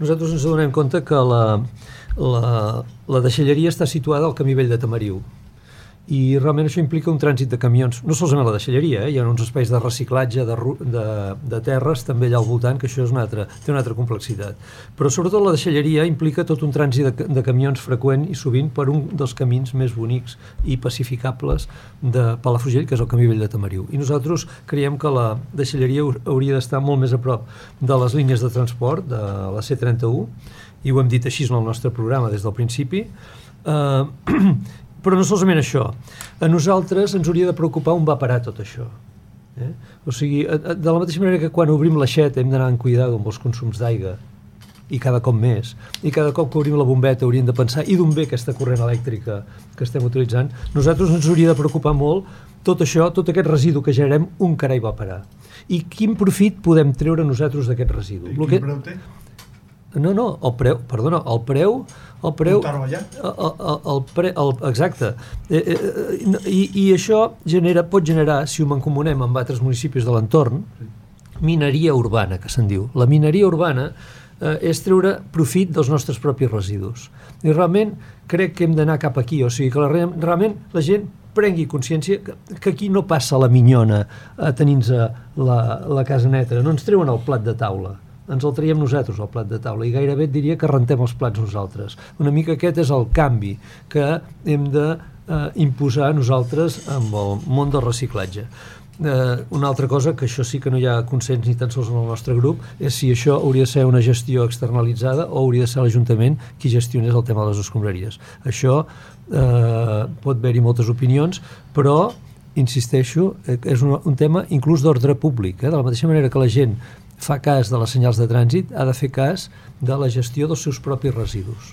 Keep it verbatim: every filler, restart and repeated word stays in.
nosaltres ens adonem compte que la, la, la deixalleria està situada al camí vell de Tamariu, i realment això implica un trànsit de camions, no solament la deixalleria, eh? Hi ha uns espais de reciclatge de, de, de terres també allà al voltant, que això és una altra, té una altra complexitat, però sobretot la deixalleria implica tot un trànsit de, de camions freqüent i sovint per un dels camins més bonics i pacificables de Palafrugell, que és el camí vell de Tamariu, i nosaltres creiem que la deixalleria hauria d'estar molt més a prop de les línies de transport de la C trenta-u, i ho hem dit així en el nostre programa des del principi. eh, Però no solament això, a nosaltres ens hauria de preocupar on va parar tot això. Eh? O sigui, de la mateixa manera que quan obrim l'aixeta hem d'anar amb cuidado amb els consums d'aigua, i cada cop més, i cada cop que obrim la bombeta hauríem de pensar i d'on ve aquesta corrent elèctrica que estem utilitzant, nosaltres ens hauria de preocupar molt tot això, tot aquest residu que generem, on carai va parar. I quin profit podem treure nosaltres d'aquest residu? I quin preu té? No, no, el preu, perdona, el preu... El preu... Portar-ho allà? El, el, el pre, el, exacte. Eh, eh, i, I això genera, pot generar, si ho mancomunem amb altres municipis de l'entorn, mineria urbana, que se'n diu. La mineria urbana eh, és treure profit dels nostres propis residus. I realment crec que hem d'anar cap aquí, o sigui que la, realment la gent prengui consciència que, que aquí no passa la minyona a tenir-se la, la casa neta, no ens treuen el plat de taula, ens el traiem nosaltres al plat de taula, i gairebé et diria que rentem els plats nosaltres. Una mica aquest és el canvi que hem de eh, imposar nosaltres amb el món del reciclatge. Eh, una altra cosa, que això sí que no hi ha consens ni tan sols en el nostre grup, és si això hauria de ser una gestió externalitzada o hauria de ser l'Ajuntament qui gestionés el tema de les escombraries. Això eh, pot haver-hi moltes opinions, però insisteixo, és un, un tema inclús d'ordre públic, eh? De la mateixa manera que la gent fa cas de les senyals de trànsit, ha de fer cas de la gestió dels seus propis residus.